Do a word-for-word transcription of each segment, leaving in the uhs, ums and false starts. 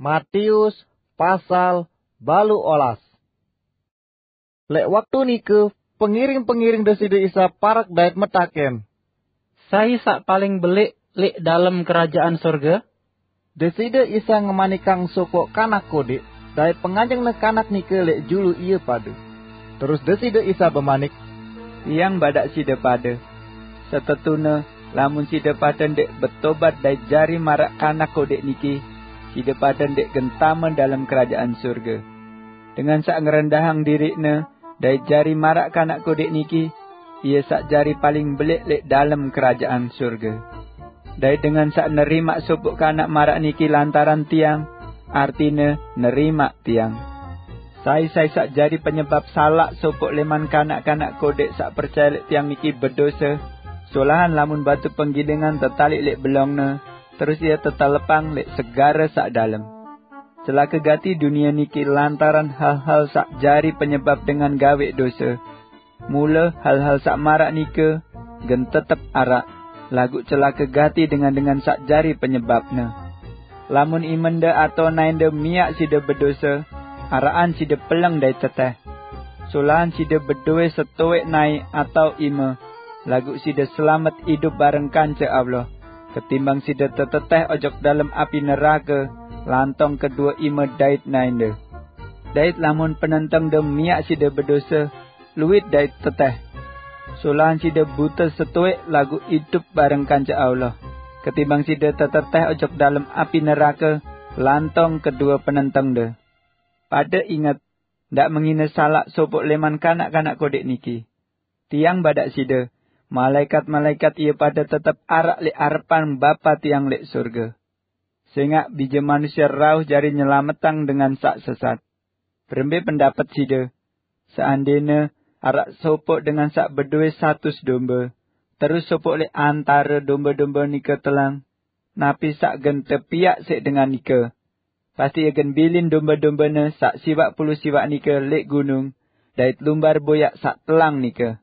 Matius pasal balu olas. Lek waktu nike, pengiring-pengiring Deside Isa parak dait metaken, "Sai sak paling belik lek dalem kerajaan sorga?" Deside Isa ngemanikang sopo kanak kodik, dait penganjengne kanak nike lek julu ie pade. Terus Deside Isa bemanik, "Tiang badak side pade, setetune lamun side pade ndek betobat dait jari marak kanak kodik niki, side pade ndek gentame dalem kerajaan sorga. Dengan sak ngerendahang dirikne dait jari marak kanak kodik niki, ie sak jari paling belik lek dalem kerajaan sorga. Dait dengan sak nerimak sopo kanak marak niki lantaran tiang, artine nerimak tiang. Sai-sai sak jari penyebab salak sopo leman kanak-kanak kodik sak percaya lek tiang niki bedose, solahan lamun batu penggilingan tetalik lek belongne, terus ia tetelepang lek segare sak dalem. Celaka gati dunia niki lantaran hal-hal sak jari penyebab dengan gawe dose. Mula hal-hal sak marak nike gen tetep arak, lagu celaka gati dengan-dengan sak jari penyebabne. Lamun imende atau nainde miak side bedose, arakan side peleng dait teteh. Solahan side bedoe setoek nai atau ime, lagu side selamet idup bareng kance Allah, ketimbang side teteteh ojok dalem api neraka lantong kedua ime dait nainde. Dait lamun penentengde miak side bedose, luit dait teteh. Solahan side bute setoek lagu idup bareng kance Allah, ketimbang side teteteh ojok dalem api neraka lantong kedua penentengde. Pade inget, ndak mengine salak sopo leman kanak-kanak kodik niki. Tiang badak side, malaikat-malaikat ie pade tetep arak lek arepan Bapa tiang lek sorga. Sengak Bije Manusia rauh jari nyelametang dengan sak sesat. Berembe pendapat side? Seandene arak sopo dengan sak bedoe satus domba, terus sopo lek antare domba-domba nike telang, napi sak gen tepiak sek dengan nike? Pasti ia gen bilin domba-dombane sak siwak puluh siwak nike lek gunung, dait lumbar boyak sak telang nike.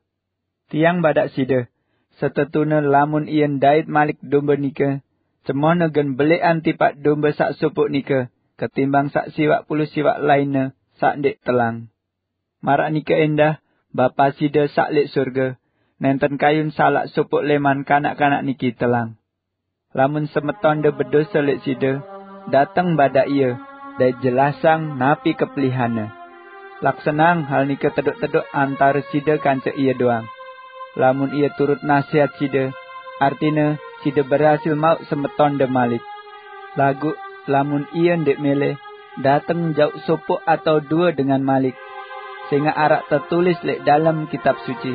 Tiang badak side, setetune lamun ie ndait malik domba nike, cemone gen belekan tipak domba sak sopo nike, ketimbang sak siwak puluh siwak lainne sak ndek telang. Marak nike endah, Bapa side sak lek sorga, nenten kayun salak sopo leman kanak-kanak niki telang. Lamun semetonde bedose lek side, dateng badak ie, dait jelasang napi kepelihane. Laksanang hal nike tedok-tedok antare side kance ie doang. Lamun ie turut nasihat side, artine side berhasil mauk semetonde malik. Lagu lamun ie ndek mele, dateng jauh sopo atau dua dengan malik. Sengak arak tetulis lek dalem kitab suci,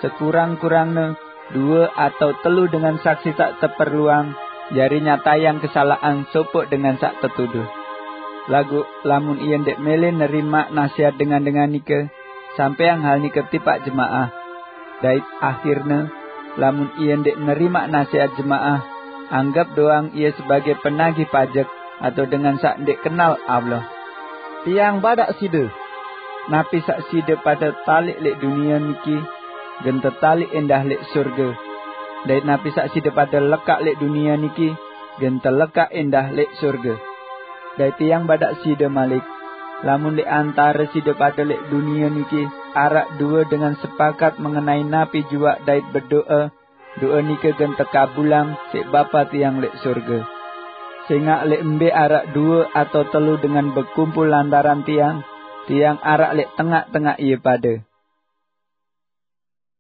sekurang-kurangne dua atau telu dengan saksi sak teperluang, jari nyatayang kesalahan sopo dengan sak tetuduh. Lagu lamun ie ndek mele nerimak nasihat dengan-dengan nike, sampeang hal nike tipak jemaah. Dait akhirne, lamun ie ndek nerimak nasihat jemaah, anggap doang ie sebagai penagih pajek atau dengan sak ndek kenal Allah. Tiang badak side, napi sak side pade talik lek dunia niki, gen tetalik endah lek sorga. Dait napi sak side pade lekak lek dunia niki, gen telekak endah lek sorga. Dait tiang badak side malik, lamun lek antare side pade lek dunia niki arak dua dengan sepakat mengenai napi juak dait bedoa, doa nike gen tekabulang sek Bapa tiang lek sorga. Sengak lek embe arak dua atau telu dengan bekumpul lantaran tiang, tiang arak lek tengak-tengak ie pade."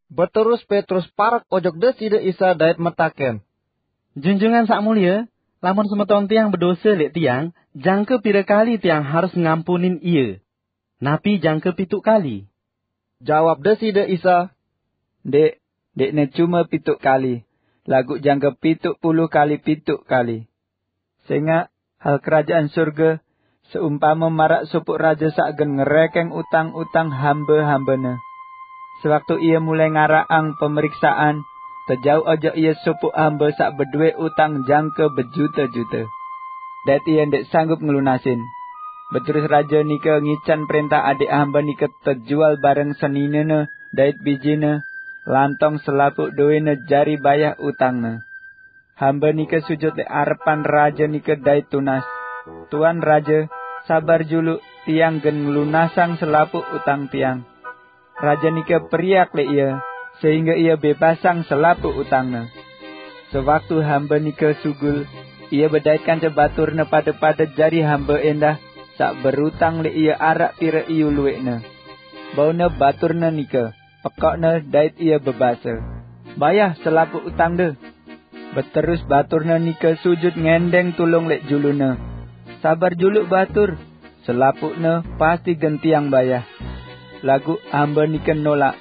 Beterus Petrus parak ojok Deside Isa dait metaken, "Junjungan sak mulia, lamun semeton tiang bedose lek tiang, jangke pire kali tiang harus ngampunin ie? Napi jangke pituk kali?" Jawab Deside Isa, "Ndek, ndekne cuma pituk kali, lagu jangke pituk puluh kali pituk kali. Sengak hal kerajaan sorga seumpama marak sopo raja sak gen ngerekeng utang-utang hamba-hambane. Sewaktu ia mulai ngarakang pemeriksaan, tejauh ojok ia sopo hamba sak bedoe utang jangke bejuta-juta. Dait ia ndek sanggup ngelunasin. Beterus raja nike ngican perintah adik hamba nike tejual bareng seninene dait bijine, lantong selapuk doene jari bayah utangne. Hamba nike sujud lek arepan raja nike dait tunas. Tuan Raja, sabar juluk, tiang gen nglunasang selapuq utang tiang." Raja nike periak leq ie, sehingge ie bebasang selapuq utangne. Sewaktu hambe nike sugul, ie bedait kance baturne pade-pade jari hambe endah saq berutang leq ie araq pire iyu lueqne. Baune baturne nike, pekoqne dait ie bebase, "Bayah selapuq utangde." Beterus baturne nike sujut ngendeng tulung leq julune. "Sabar juluk batur, selapuqne pasti gen tiang bayah." Laguq hambe nike nolaq.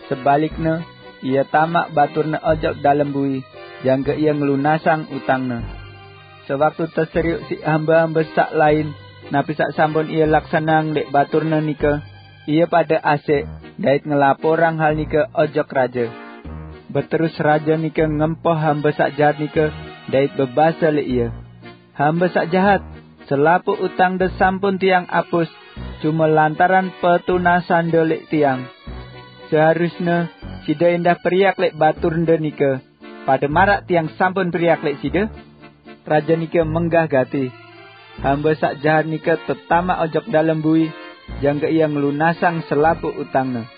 Sebalikne, ie tamaq baturne ojok dalem bui, jangke ie ngelunasang utangne. Sewaktu teseriuq siq hambe-hambe saq lain napi saq sampun ie laksaneang leq baturne nike, ie pade asek dait ngelaporang hal nike ojok raje. Beterus raje nike ngempoh hambe saq jahat nike dait bebase leq ie, "Hambe saq jahat, selapuq utangde sampun tiang apus, cume lantaran petunasande leq tiang. Seharusne side endah periak leq baturde nike, pade maraq tiang sampun periak leq side." Raje nike menggah gati. Hambe saq jahat nike tetamaq ojok dalem bui, jangke ie ngelunasang selapuq utangne.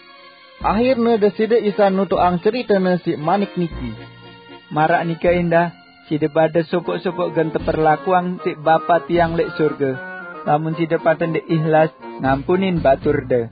Ahirne Deside Isa nutuqang ceritene siq manik niki, "Maraq nike endah, side pade sopoq-sopoq gen teperlakuang siq Bapa tiang leq sorge, lamun side pade ndeq ihlas ngampunin baturde."